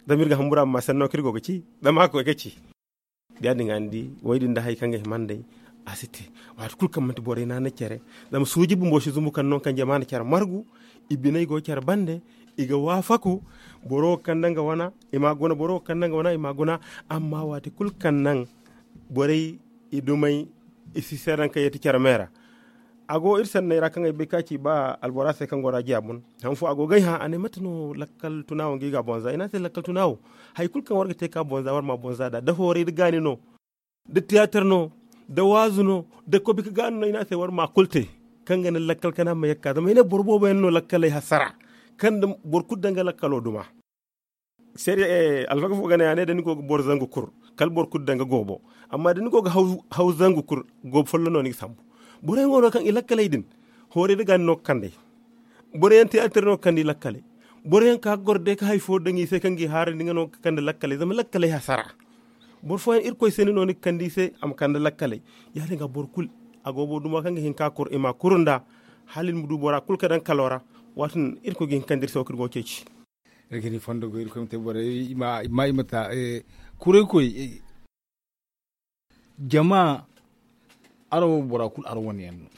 zama iri ga hambura ma ma sanno kaŋ iri go ga ci. Zama a ga koy ga ci. Da ya- din ga ni di way din da hari kaŋ ga hima nd'ey a si te. Waati kulu kaŋ manti borey naanay care. Zama suuji bumbo si zumbu kaŋ no kaŋ jama na care margu. I biney go care bande. I ga waafaku. Boro wo ga kande nga wana i m'a guna boro wo ga kande nga wana i m'a guna. Amma waati kulu kaŋ naŋ borey i dumey i si seedaŋ kaŋ yeeti care me ra. A go iri sanney ra kaŋ ay bay ka ci ba albora se kaŋ go ra jiya boŋ. Han fo a go ga ay hã a ne mate no lakkal tuna wo ga i ga a bonza i ne a se lakkal tuna wo. Hari kulu kaŋ war ga te ka bonza war ma a bonza nd'a da hooray nda gaani no, da tiyaatar no, da waazu no, da kobi ka gaani no i ne a se war ma a kulu te. Kaŋ ga naŋ lakkal kana ma yakka zama i ne boro boobo yaŋ no lakkaley hasara kaŋ nda boro kulu daŋ ga lakkalo duma. Seede alfaga fo ga ne a ne da ni go ga boro zangu kur kala boro kulu daŋ ga goobo. Amma da ni go ga haw zangu kur goobo folloŋ no ni ga sambu. Boro yaŋ go no kaŋ i lakkaley din hooray nda gaani no ga kand'ey. Boro yaŋ tiyaatar no ga kande i lakkaley. Boro yaŋ ka ga goro day ka hari fo daŋ i se kaŋ ga i haarandi nga no ga kande lakkaley zama lakkaley hasara. Boro fooyaŋ irkoy se ni no ni ga kande i se a ma kande lakkaley. Ya- din ga boro kulu a go boro duma kaŋ ga hin ka kur i ma a kuru nd'a. Hala iri ma du bora kulu ka daŋ kalo ra. Waati din irkoy ga hin ka kande iri se wo kaŋ iri go ga ceeci. Iri ga ni fondo goy irkoy ma te borey i ma i ma ta. Kuray koy jama araŋ wo bora kulu araŋ wane yaŋ no.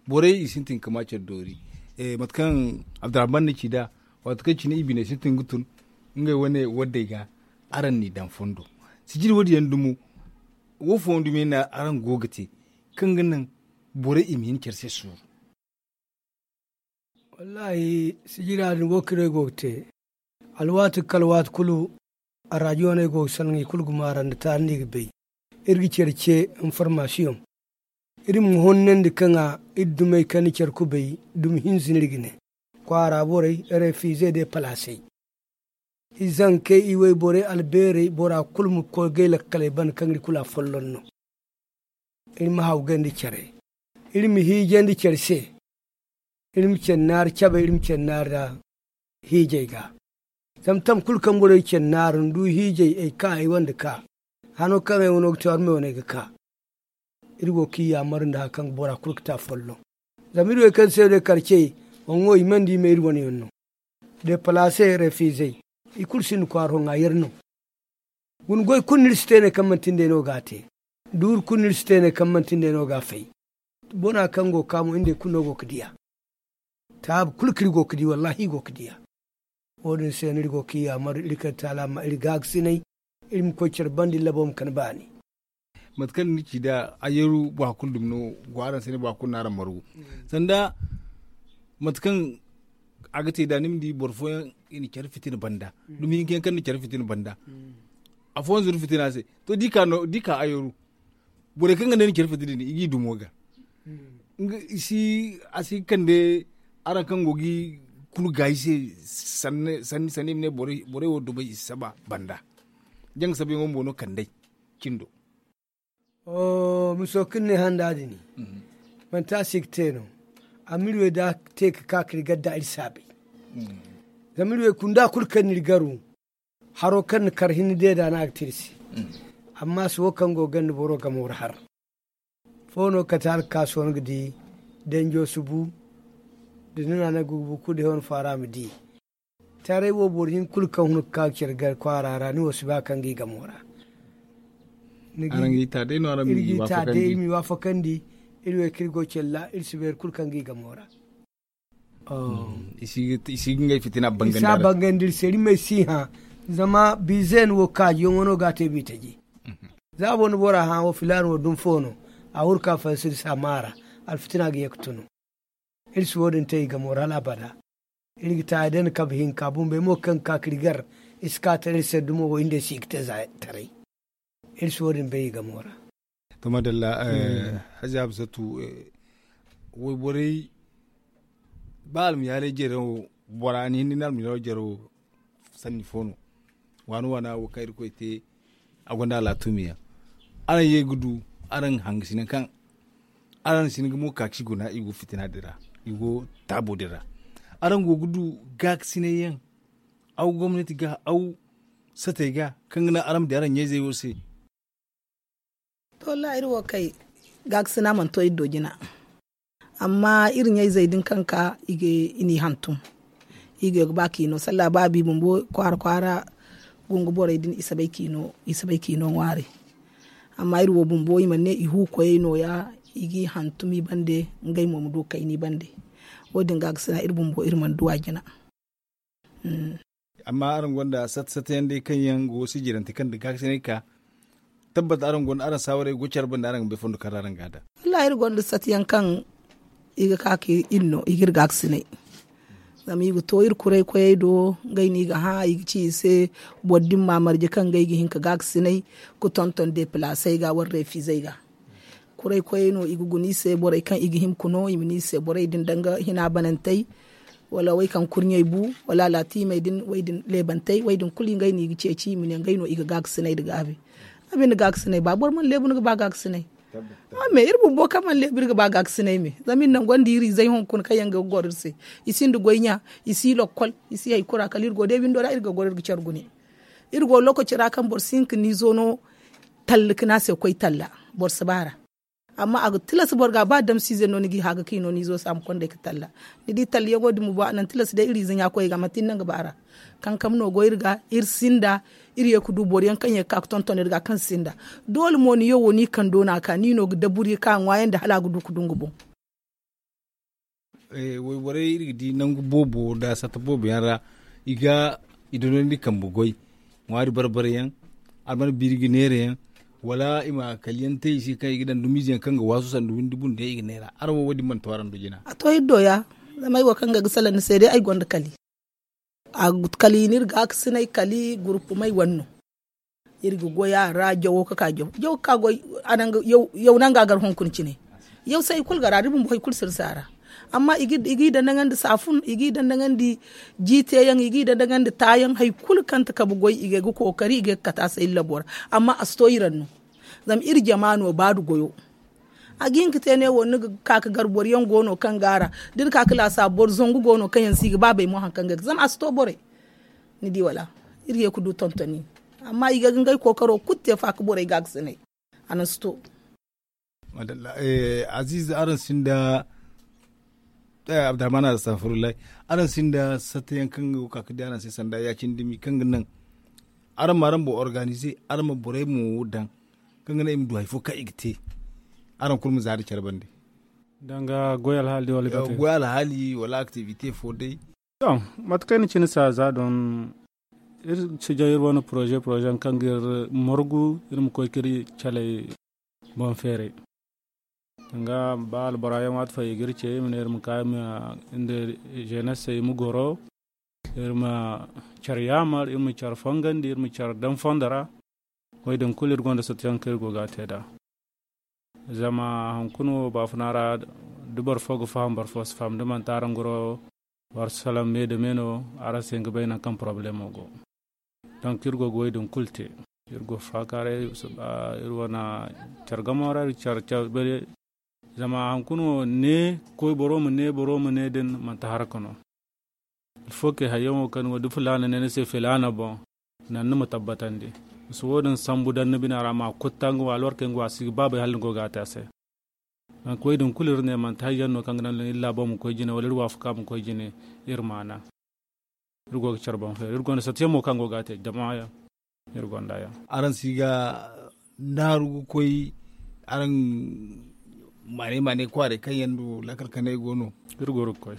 Borey i sintin ga ma care doori. Mate kaŋ abdurrahman na ci nd'a waati kaŋ cine i biney sintin ga tun ngey wane waddey ga. Araŋ n'i daŋ fondo sijiri wo- din yaŋ dumo. Wo fooyaŋ dumo yaŋ no araŋ go ga te kaŋ ga naŋ borey i ma hin care se suuru. Wallaahi sijira din wo kaŋ iri go ga te alwaati kala waati kulu. Araadiyooney go ga salaŋ i kulu ga maara nda taali no i ga bay. Iri ga care ce informasiyoŋ. Iri ma honnandi kaŋ a iri dumey kaŋ ni care kubay dumi hinza no iri ga ne kwaara borey refize de palaasey. I zankey i wayborey albeerey bora kulu ma koy gay lakkaley banda kaŋ iri kulu a folloŋ no. Iri ma hawgandi care. Iri ma hiijandi care se. Iri ma care naari cabe iri ma care naari ra hiijay ga. Zama tam kulu kaŋ borey care naari ndu hiijay ay ka ay wande ka hano kaŋ ay wano ga te war me wane ga ka. Iri go ga i yaamar nda hari kaŋ ga bora kulu ga te a folloŋ. Zama iri wey kaŋ se day karcey, wongo i mandi i me iri wane yaŋ no. Depalaase refizey i kulu sinda kwaara hoŋ a yar no. Guna goy kulu no iri si te ne kaŋ manti nda ay no ga a te. Duuri kulu no iri si te ne kaŋ manti nda ay no ga a fay. Bona kaŋ go ga ka mo iri nda ay kulu no go ga diya. Taabi kulu kaŋ iri go ga di wallaahi iri go ga diya. Wo- din se no iri go ga i yaamar iri kaŋ taala ma iri gaagasinay. Iri ma koy care banda iri labo ma kande baani. Mate kaŋ ni ci nd'a ayyaru boro kulu dumi no go araŋ se ne boro kulu no araŋ margu. Sanda mate kaŋ a ga te nd'a ni ma di boro fooyaŋ i na care fitina banda. Dumi hinka yaŋ kaŋ na care fitina banda. Afooyaŋ zuru fitina se to da i ka ayyaru. Borey kaŋ ga ne ni care fitina din i g'i dumo ga. Nga i si a si kande araŋ kaŋ go ga i kulu gaayi se. Sanni sanni i ma ne borey wo dumey i si saba banda. Janga sabayaŋo mo no kand'ey cindo. Miso kaŋ ni ne handa din manti a si ga te no. Amma iri wey da a te ga ka ka iri gar da iri saabay. Zama iri wey kunda kulu kaŋ no iri garu haro kaŋ na kar hinne deeda no a ga te iri se. Amma a si wo kaŋ go ga ganda boro gamo ra har. Fo no kate hala ga ka sohõ ga di danjo si bu. Da ni na ne ga bu kulu day wane faara ma di. Taray wo boro hinka kulu kaŋ hun ga ka ga care gar kwaara ra ni wo si ba kaŋ ga i gamo ra. Ni ga i ta day no araŋ ma i waafakandi. Iri ma i waafakandi. Iri wey kaŋ iri go care ra iri si bay hari kulu kaŋ ga i gamo ra. I si ga ngey fitina bangandi iri se iri ma ay si hã. Zama bizeeni wo kaajiyaŋo no ga a te bitaji. Za boro na bora hã wo filaana wo dumi fo no. A huru ka fansiri si a maara. Alfitina ga ye ga tunu. Iri si wo- din te i gamo ra hala abada. Iri ga ta day nda kabe hinka bumbey mo kaŋ ga ka ka iri gar. I si ka taray iri se dumo wo iri nd'ey se i ga te za taray. Iri si wo- din bay i gamo ra. To madalla. Hazi absatu wayborey ba almiyaalay jare wo bora ni hinne ni almiyaalay jare wo sanni fo no. Waana waana wo kaŋ irkoy te a gonda alaatuumi yaŋ. Araŋ ye ga du araŋ hangasina kaŋ araŋ sina ga mo kaakasi guna i go fitina din ra. I go taabo din ra. Araŋ go ga du gaakasinay yaŋ aw gomnati ga aw satey ga kaŋ ga naŋ araŋ ma di araŋ ɲayzey wo se. Wallaahi iri wo kay gaakasina mana to iri do jina. Amma iri ɲayzey din kaŋ ka i n'i hantum. I ga ba k'i no sallaahi ba a bi bumbo kwaara kwaara. Gungu borey din i si bay k'i no ŋwaari. Amma iri wo bumbo i mana ne i hu koyey no- ya. I g'i hantum i bande ngey mo ma du kayna i bande. Wo- din gaakasina iri bumbo iri mana du a jina. Amma araŋ gonda sata sata yaŋ day kaŋ yaŋ go sijirante kaŋ nda gaakasinay ka tabbat araŋ gonda araŋ saawaray go care banda araŋ ga bay fondo kaŋ ra araŋ ga a daŋ. Wallaahi iri gonda sata yaŋ kaŋ i ga ka ka iri no i ga iri gaakasinay. Zama i ga to iri kuray koyey do ngey no i ga hã i ga ci i se boro din ma marje kaŋ ngey ga hin ka gaakasinay ka tonton depilasey ga wala reefizey ga. Kuray koyey no i ga guna i se borey kaŋ i ga hima ka no i ma ne i se borey din danga hina banantey wala wey kaŋ kurɲey bu wala alaatimey din wey din leebantey wey din kulu ngey no i ga ceeci i ma ne ngey no i ga gaakasinay nda gaabi. A binde gaakasinay ba boro mana leebu ni ga ba gaakasinay. A me iri bumbo kaŋ mana leebu iri ga ba gaakasinay me zama iri naŋ gonda iri izey hunkuna kaŋ yaŋ ga goro iri se. I sinda goy ɲa, i si lakkol, i si hari kulu ra kala iri go day windo ra iri ga goro iri ga care gune. Iri go lokaci ra kaŋ boro si hin ka ni zo no talla ka ne a se koy talla. Boro si ba a ra. Amma a ga tilas boro ga ba damsiize no ni g'i haaga ka i no ni zo se a ma kond'ey ka talla. Ni di tallayaŋo din bumbo a naŋ tilas day iri ize ɲa koyey ga manti ni naŋ ga ba a ra. Kankam no go iri ga iri sinda. Iri ye ga du boro yaŋ kaŋ ye ga ka ga tonton iri ga kaŋ sinda. Doole mo ni yo wo ni kando no a ka ni no ga daburi ka ŋwaayandi hala a ga du ga du nga boŋ. Wayborey iri ga di nangu boobo nda sata boobo yaŋ ra i ga i donandi kambe goy ŋwaari barbara yaŋ. Alman biiri ga neera yaŋ wala i ma kaliyaŋ te i se kaŋ i ga daŋ dumiize yaŋ kaŋ ga waasu sanda windi bundu yaŋ i ga neera araŋ wo wo- din mana to araŋ do jina. A to iri do ya. Zama ay wo kaŋ ga ga salaŋ ni se day ay gonda kali. A kali ni iri ga a ga sinay kali gurupumay wane no. Iri ga goy a ra jawo ga ka jaw jaw ga ka goy. Yaw naŋ ga gar hunkuna cine. Yaw se hari kulu ga ra da bumbo hari kulu sirsa ra. Amma i g'i dandaŋandi saafun i g'i dandaŋandi jiiteyaŋ i g'i dandaŋandi taayaŋ hari kulu kaŋ ti kabe goy i ga ay ga kookari i ga ay ga kate a se iri labo ra. Amma a si to iri ra no. Zama iri jama no ba nda goyo. A ga hin ka te ne wo ni ga ka ga gar boro yaŋ go no kaŋ ga a ra. Da ni ka ga laasa boro zangu go no kaŋ yaŋ se i ga ba bay mo hari kaŋ ga ay ga zama a si to borey. Ni di wala? Iri ye ga du tontoni. Amma i ga ga ngey kookaro kulu te faaka borey ga a ga sinay. A naŋ si to. Aziiz araŋ sinda abdurahman astaghfirullah. Araŋ sinda satta yaŋ kaŋ ga ka ga di araŋ se sanda ya- cine dumi kaŋ ga naŋ araŋ ma araŋ boŋ organize araŋ ma borey mo daŋ kaŋ ga naŋ i ma du hari fo kaŋ i ga te. Araŋ kulu ma za nda care bande. Danga goy alhaali day wala gate goy alhaali wala activité fo day. To mate kaŋ ay na cine saaza doŋ iri si jaŋ iri wane poroze poroze yaŋ kaŋ ga iri morgu iri ma koy ka iri caley boŋ feeray. Danga ba albora yaŋ waati fo i ga iri ce i ma ne iri ma ka iri ma iri nda jenes se i ma goro. Iri ma care yaamar iri ma care fongandi iri ma care daŋ fondo ra. Wo- din kulu iri gonda satuyaŋ kaŋ iri go ga a te nd'a. Zama hunkuna wo baafuna ra da boro fo ga faham boro fo si faham da manti araŋ goro. Boro si salaŋ me nda me no araŋ si hin ga bay nangu kaŋ porobalemo go. Donk iri go ga wo- din kulu te. Iri go ga faakaaray iri wane care gamo ra iri care care beere. Zama hunkuna wo ne ga koy boro ma ne boro ma ne din manti haraka no. Alfo kay hayyaŋo kaŋ wo da filaana ne ni se filaana boŋ. Naŋ ni ma tabbatandi. Misa wo- din sambu daŋ ni bina ra ma a kutta nga wo alwarkey nga wo a si ga baabay hala ni go ga a te a se. Nangu koy din kulu iri ne manti hayyaŋ no kaŋ ga naŋ iri laabo ma koy jine wala iri waafaka ma koy jine. Iri maana iri go ga care boŋ feeri iri gonda satiyaŋ mo kaŋ go ga a te jama yaŋ. Iri gonda yaŋ. Araŋ si ga naaru ga koy araŋ maanay maanay kwaaray kaŋ yaŋ du lakkal kanay go no. Iri go ga koy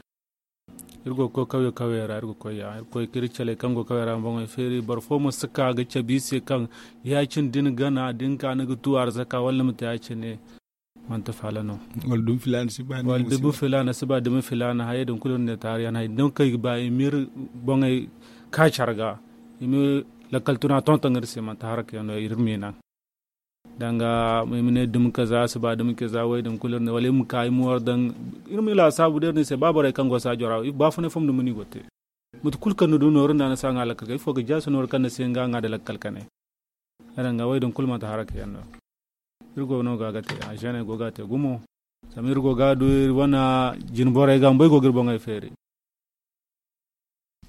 iri go ga koy kawye kawye ra iri ga koy ya iri ga koy ka iri caley kaŋ go kawye ra ma boŋey feeri boro fo ma si ka ga cabe i se kaŋ ya- cine da ni gana da ni ka ni ga tu arzaka wala ni ma te ya- cine. Manti faala no. Wala dumi filaana si ba ni ma wala si dumi ba filaana si ba dumi filaana hayey din kulu iri ne taari yaŋ hayey din kaŋ i ga ba i ma iri boŋey ka care ga i ma lakkal tuna tonton iri se manti haraka yaŋ no iri ma i naŋ. Danga i ma ne dumi kaza si ba dumi kaza wo- din kulu iri ne wala iri ma ka i ma war daŋ iri ma i laasaabu da iri ne i se ba borey kaŋ go saajo ra baafunay fo ma dumi no i go ga te. Mate kulu kaŋ ni du nooru nda ni si a ŋwa lakkal ga ifo ga jaasi nooru kaŋ ni si hin ga a ŋwa nda lakkal kanay. Yaŋ danga wo- din kulu manti haraka yaŋ no. Iri go no ga ga te a zeeney go ga a te gumo. Zama iri go ga a du iri wane jine borey ga bumbo ay go ga iri boŋey feeri.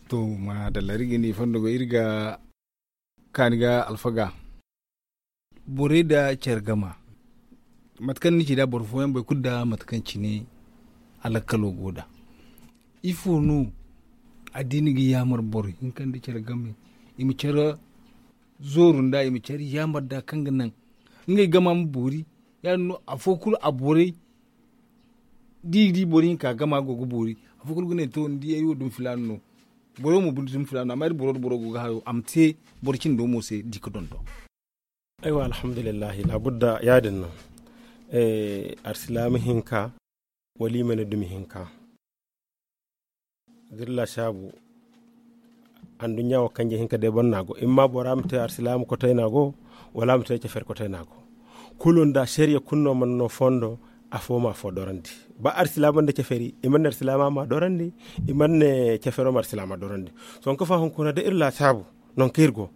To maadalla iri ga ni fondo go iri ga kaani ga alfaga. Borey nda care gama Mate kaŋ ni ci nd'a boro fooyaŋ boro kulu nda mate kaŋ cine a lakkalo go nd'a. Ifo no addiini ga yaamar boro hinka nda care game i ma care zooru nd'a i ma care yaamar nd'a kaŋ ga naŋ ngey gama ma boori? Ya- din no afo kulu a borey da i ga di boro hinka gama go ga boori. Afo kulu ga ne to ni di ay wo dumi filaana no. Boro mo binde dumi filaana no amma iri boro nda boro go ga hayo a ma te boro cindo mo se di ga donton. Aywa alhamdulillahi laabudda ya- din no. Arsilaama hinka wala i ma ne dumi hinka. Da iri laasaabu anduɲɲa wo kanje hinka day boŋ no a go i ma ma bora ma te arsilaama kotay no a go wala a ma te cafari kotay no a go. Kulu nda sariya kulu no mana no fondo afo ma afo dorandi. Ba arsilaama nda cafari i mana ne arsilaama ma a dorandi. I mana ne cafaro ma arsilaama dorandi. Sohõ kaŋ fa hunkuna da iri laasaabu nangu kaŋ iri go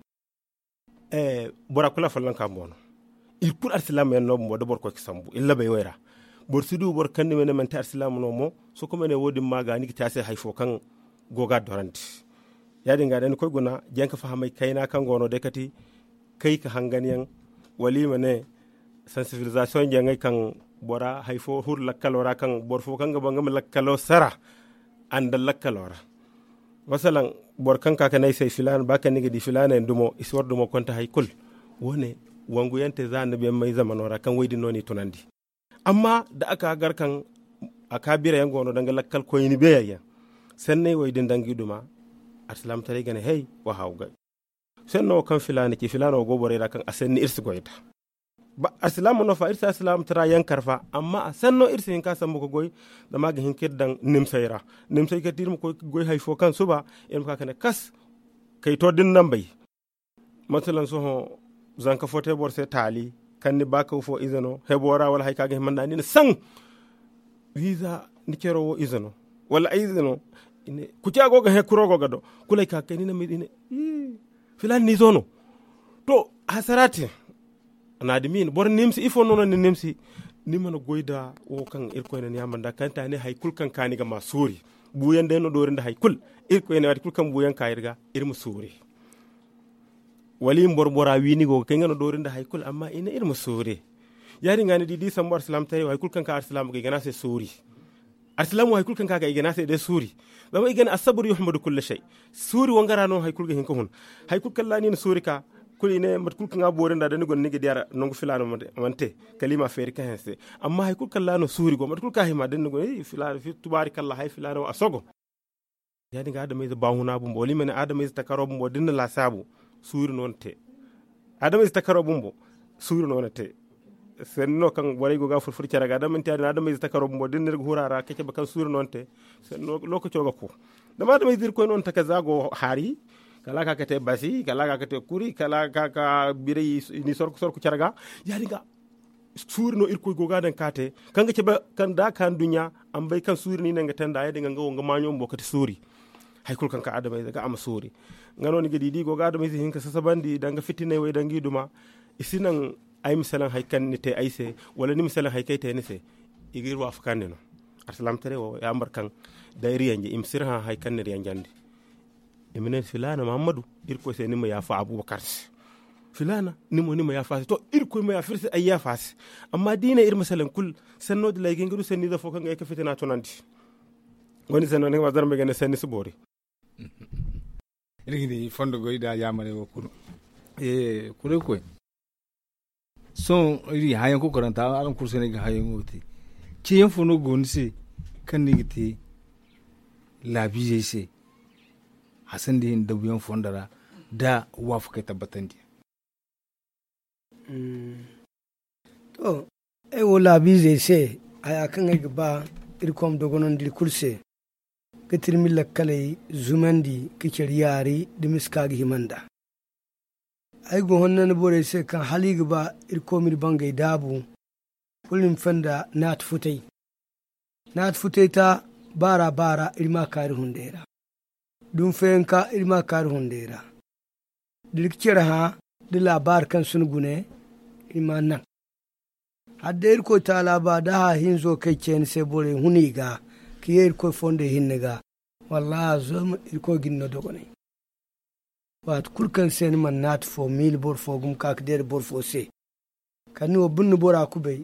bora kulu a follonka mo no. Iri kulu arsilaama yaŋ no bumbo da boro koy ga sambu iri labey wo ra. Boro si du boro kaŋ ni ma ne manti arsilaama no mo. Sohõ kaŋ ma ne wo- din ma ga ni ga te a se hari fo kaŋ go ga a dorandi. Ya- din ga day ni koy guna janka fahamey kayna kaŋ go no day kati kay ka hangan yaŋ wala i ma ne sansibilizasiyoŋ jaŋey kaŋ bora hari fo huru lakkalo ra kaŋ boro fo kaŋ ga ba nga ma lakkalo sara a nda lakkalo ra. Masalaŋ boro kaŋ ka ga ne ay se filaana ba kaŋ ni ga di filaana yaŋ dumo i si war dumo konte hari kulu. Wo- ne wangu yaŋ te za annabiyaŋ may zamano ra kaŋ wo- din no n'i tunandi. Amma da a ka gar kaŋ a ka birayaŋ go no danga lakkal koyni beeyaŋ yaŋ sanney wo- din danga i duma. Arsilaamataray ga ne hey wa haawu gay. Sanno wo kaŋ filaana ci filaana wo go borey ra kaŋ a sanni iri si goy nd'a. Ba arsilaama no fa iri si arsilaamatara yaŋ kar fa amma a sanno iri si hin ka sambu ga goy. Zama a ga hin ka iri daŋ nimsey ra. Nimsey kate iri ma koy ga goy hari fo kaŋ suba iri ma ka ga ne kas kay to da ni naŋ bay. Masalan sohõ zanka fo te boro se taali kaŋ ni ba kaw fo ize no hebo ra wala hari kaŋ a ga hima nd'a ni na saŋ. Wiiza ni caro wo ize no wala ay ize no. Kuca go ga he kuro go ga do kulu ay ka ga kay ni na ma i ne filaana ni izo no. To hasara te. Naadimi boro nimsi ifo no no ni nimsi. Ni mana goy nda wo kaŋ irkoy na ni yaamar nd'a kaŋ ta ne hari kulu kaŋ ka ni ga ma soori. Buuyaŋ day no doori nda hari kulu. Irkoy ne waati kulu kaŋ buuyaŋ ka iri ga iri ma soori. Wala i ma boro bora wi ni go ga kay nga no doori nda hari kulu amma i ne iri ma soori. Ya- din ga ni di da i sambu arsilaamataray wo hari kulu kaŋ ka arsilaama ga i ga ne a se soori. Arsilaama wo hari kulu kaŋ ka ga i ga ne a se day soori. Zama i ga ne assabur yuhmadu kulla shay. Soori wangara no hari kulu ga hin ka hun. Hari kulu kaŋ ra ni na soori ka kulu i ne mate kulu kaŋ a boori nd'a da ni guna ni ga di a ra nangu filaana mana te kala i ma a feeri ka hanse. Amma hari kulu kaŋ ra no soori go mate kulu kaŋ a hima da ni guna tubaari kaŋ ra hari filaana wo a sogo. Ya- din ga adamayze baahuna bumbo wala i ma ne adamayze takaro bumbo da ni na laasaabu suuri no ni te. Adamayze takaro bumbo suuri no ni te. Sanni no kaŋ borey go ga a furfur care ga da manti ya- din adamayze takaro bumbo da ni na iri ga huru a ra ka cabe kaŋ suuri no ni te. Sanni no lookaco ga ku. Zama adamayze irkoy no ni taka za go haari kala a ga ka ga te basi kala a ga ka ga te kuri kala a ga ka ga biray ni sorku care ga. Ya- din ga suuri no irkoy go ga a daŋ ka te kaŋ ga cabe kaŋ da a ka nduɲɲa a ma bay kaŋ suuri no i naŋ ga te nd'a ya- din ga nga wo nga maaɲo bumbo kate suuri. Hari kulu kaŋ ka adamayze ga a ma suuri. Nga no ni ga di da i go ga adamayze hinka sasabandi danga fitinay way danga i duma. I si naŋ ay ma salaŋ hari kaŋ ni te ay se wala ni ma salaŋ hari kaŋ ay te ni se. I ga iri waafakandi no. Alsilaamataray wo yaamar kaŋ da iri yanje i ma si iri hã hari kaŋ ni iri yanjandi. I ma ne filaana muhammadu irkoy se ni ma yaafa abubakar se. Filaana ni mo ni ma yaafa a se to irkoy ma yaafa iri se ay yaafa a se. Amma da i ne iri ma salaŋ kulu sanno dilay ga hin ga du sanniize fo kaŋ ga ye ga fitina tunandi. Wo- din sanno ni ga ma zarmey ga ne sanni si boori. Iri ga di fondo goy nda yaamarey wo kulu. Kuray koy sohõ iri hãyaŋ kokoranta araŋ kulu se no ay ga hãyaŋo te. Ceeyaŋ fo no go ni se kaŋ ni ga te laabiizey se? Hasandi hinne dabuyaŋ fondo ra da waafakey tabbatandi. To ay wo laabiizey se haya kaŋ ay ga ba irkoy ma dogonandi iri kulu se ga tirmi lakkaley zumandi ga care yaari da miska ga hima nd'a. Ay go honnandi borey se kaŋ hala i ga ba irkoy ma iri bangey daabu kulu i ma fanda naati futay. Naati futay ta baara baara iri ma a ka iri hunday ra. Dumi fayanka iri ma a ka iri hunday ra. Da iri ga care hã da laabaari kaŋ si ni gune iri ma a naŋ. Hala day irkoy taala ba da hã hinzo kaŋ ay ce ni se borey hun i ga ka ye irkoy fondey hinne ga. Wallaahi a zo ma irkoy ga ni no dogonay. Waati kulu kaŋ se ni mana naati fo miila boro fo gumo ka ga deera boro fo se kala ni wo binde bora kubay.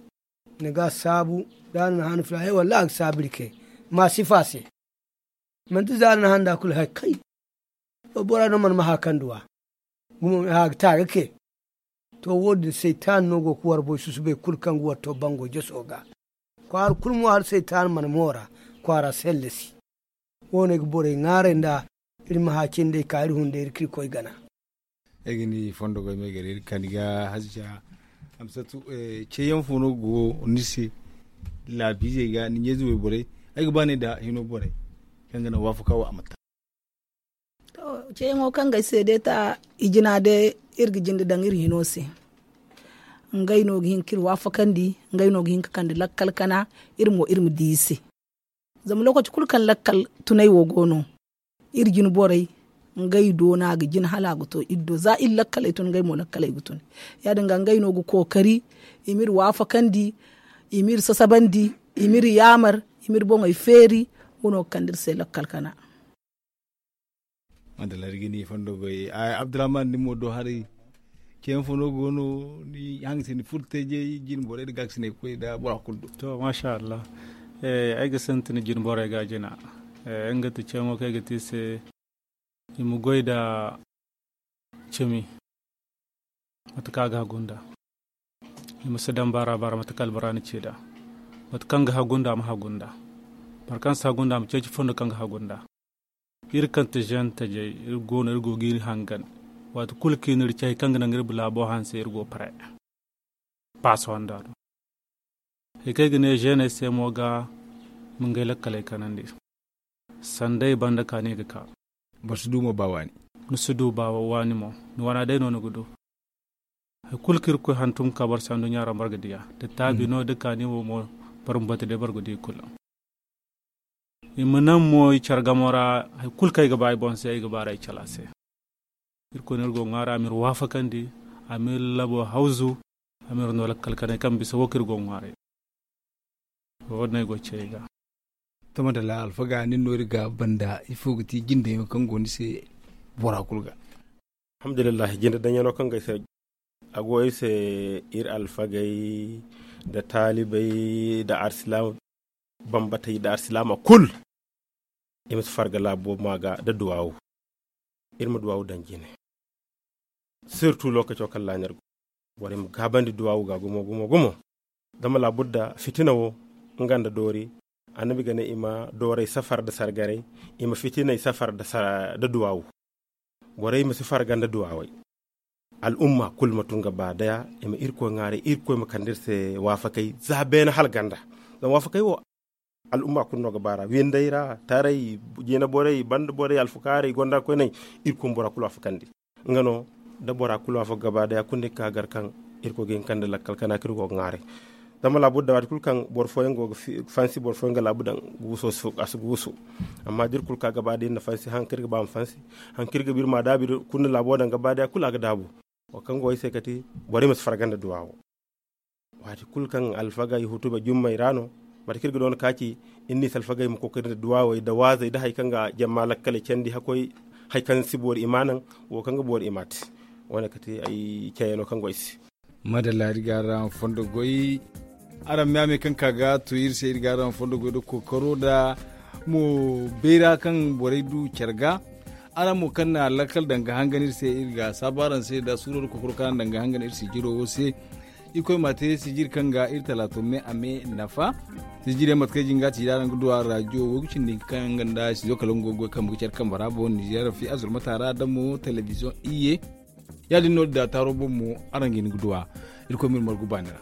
ni ga a saabu. Da a na ni hana filaŋ hay wallaahi a ga saabu iri kay. Ma sifa se. Manti za a na ni hana nda kulu hay kay. Bora no mana ma hã kaŋ duw'a. Gumo a ga ta ga ke. To wo- din saytaana no go ga warboy susubay kulu kaŋ ga war to bango jaso ga. Kwaara kulu mo hala saytaana mana moora kwaara sellasi. Wo- ne ga borey ŋwaaray nda iri ma hã cindey ka iri hunday iri ka iri koy gana. Ay ga ni fondo goy me gari iri kani ga hazija. Amsatu, ceeyaŋ fo no go ni se laabiizey ga ni ɲeezi wayborey? Ay ga ba ne nda hino borey kaŋ ga naŋ waafaka wo a ma ta. Ceeyaŋo kaŋ ga ay se day ta i jina day iri ga jinde daŋ iri hino se. Ngey no ga hin ka iri waafakandi. Ngey no ga hin ka kande lakkal kana iri mo iri ma di i se. Zama lokaci kulu kaŋ lakkal tunay wo go no iri jine borey ngey do no a ga jin hala a ga to iri do za iri lakkaley tun ngey mo lakkaley ga tun. Ya- din ga ngey no ga kookari i ma iri waafakandi, i ma iri sasabandi, i ma iri yaamar, i ma iri boŋey feeri. Wo no ga kande iri se lakkal kana. Madalla iri ga ni fondo goy. Abdurrahman ni mo do haray. Ceeyaŋ fo no go no ni hanga se ni furo teejay jine borey nda gaakasinay koy nda bora kulu do? To masha allah. Ay ga sintin jine borey ga jina. Nga ti ceeyaŋo kaŋ ay ga te i se i ma goy nda cimi. Mate kaŋ a ga hagu nd'a i ma si daŋ baara baara mate kaŋ albara na ci nd'a. Mate kaŋ ga hagu nd'a ma hagu nd'a. Boro kaŋ si hagu nd'a ma ceeci fondo kaŋ ga hagu nd'a. Iri kaŋ ti žen tajey iri go no iri go ga iri hangan. Waati kulu kaŋ i na iri ci hari kaŋ ga naŋ iri ma laabo hanse iri go pare. Paaso handa do hari kaŋ ay ga ne žeeney se mo ga ma ngey lakkaley kanandi. Sanday banda kaani ga ka. Boro si du mo ba waani. Ni si du ba waani mo. Ni wana day no ni ga du. Hari kulu kaŋ irkoy hantum ga ka boro se anduɲɲa ra boro ga di a da taabi no da kaani mo mo. Boro ma batu day boro ga di kulu. I ma naŋ mo i care gamo ra. Hari kulu kaŋ ay ga ba ay boŋ se ay ga baarey cala se. Irkoy no iri go ga ŋwaaray a ma iri waafakandi. A ma iri labo hawzu. A ma iri no lakkal kanay kaŋ bisa wo kaŋ iri go ga ŋwaaray. Wo- din ay go ga ce ay ga. Tama da la alfaga nin no iri ga banda ifo ga ti jindayaŋo kaŋ go ni se bora kulu ga? Alhamdulillahi jinde daŋyaŋo kaŋ ga ay se a go iri se. Iri alfagey nda taalibey nda arsilaama bambatey nda arsilaama kulu. I ma si farga laabo ma ga nda duwaawu. Iri ma duwaawu daŋ jine. Sirtu lookaco kaŋ laaɲar go borey ma gaabandi duwaawu ga gumo gumo gumo. Zama laabudda fitina wo nga nda doori. Annabi ga ne i ma doorey safar nda sargaray. I ma fitiney safar nda duwaawu. Borey ma si farga nda duwaawey. Al'umma kulu ma tun ga ba daya i ma irkoy ŋwaaray irkoy ma kande iri se waafakay za beene hala ganda. Zama waafakay wo al'umma kulu no ga ba ra windey ra taray jina borey banda borey alfakaarey gonda koyney. Irkoy ma bora kulu waafakandi. Nga no da bora kulu waafaka ga ba daya kulu ni ga ka gar kaŋ irkoy ga hin kande lakkal kana kaŋ iri go ga ŋwaaray. Zama laabudda waati kulu kaŋ boro fooyaŋ go ga fansi boro fooyaŋ ga laabu daŋ guuso a si guusu. Amma da iri kulu ka ga ba da iri na fansi hari kaŋ iri ga ba ma fansi. Hari kaŋ iri ga ba iri ma a daabu iri kulu na laabo daŋ ga ba da ya kulu a ga daabu. Wo kaŋ go ay se kati borey ma si farga nda duwaawo. Waati kulu kaŋ alfagey hutuba jummey ra no mate kaŋ iri ga doona ka ci iri n'i si alfagey ma kookari nda duwaawey nda waazey nda hari kaŋ ga jamma lakkaley candi hakkoy hari kaŋ si boori i ma a naŋ. Wo kaŋ ga boori i ma a te. Wo- ne kati ay cayano kaŋ go ay se. Madalla iri ga araŋ fondo goy. Araŋ me a me kaŋ ka ga to iri se iri ga araŋ fondo goy nda kookaro nda mo bayra kaŋ borey du care ga. Araŋ mo kaŋ na lakkal daŋ ga hangan iri se iri ga saabu araŋ se nda suuro nda kookaro kaŋ araŋ daŋ ga hangan iri sijiro wo se. Iri koy ma te sijiri kaŋ ga iri talaato me a me nafa. Sijiri yaŋ mate kaŋ ay jin ga a ti iri araŋ ga du a rajo wo ga cindi kaŋ nga nda sizo kala nga go ga goy kambe ga care kambe ra boŋ nizeer fi azurmata ra da mo telebiziyoŋ iyye. Ya- din no da taaro boŋ mo araŋ ga hin ga du a. Irkoy ma iri margu baani ra.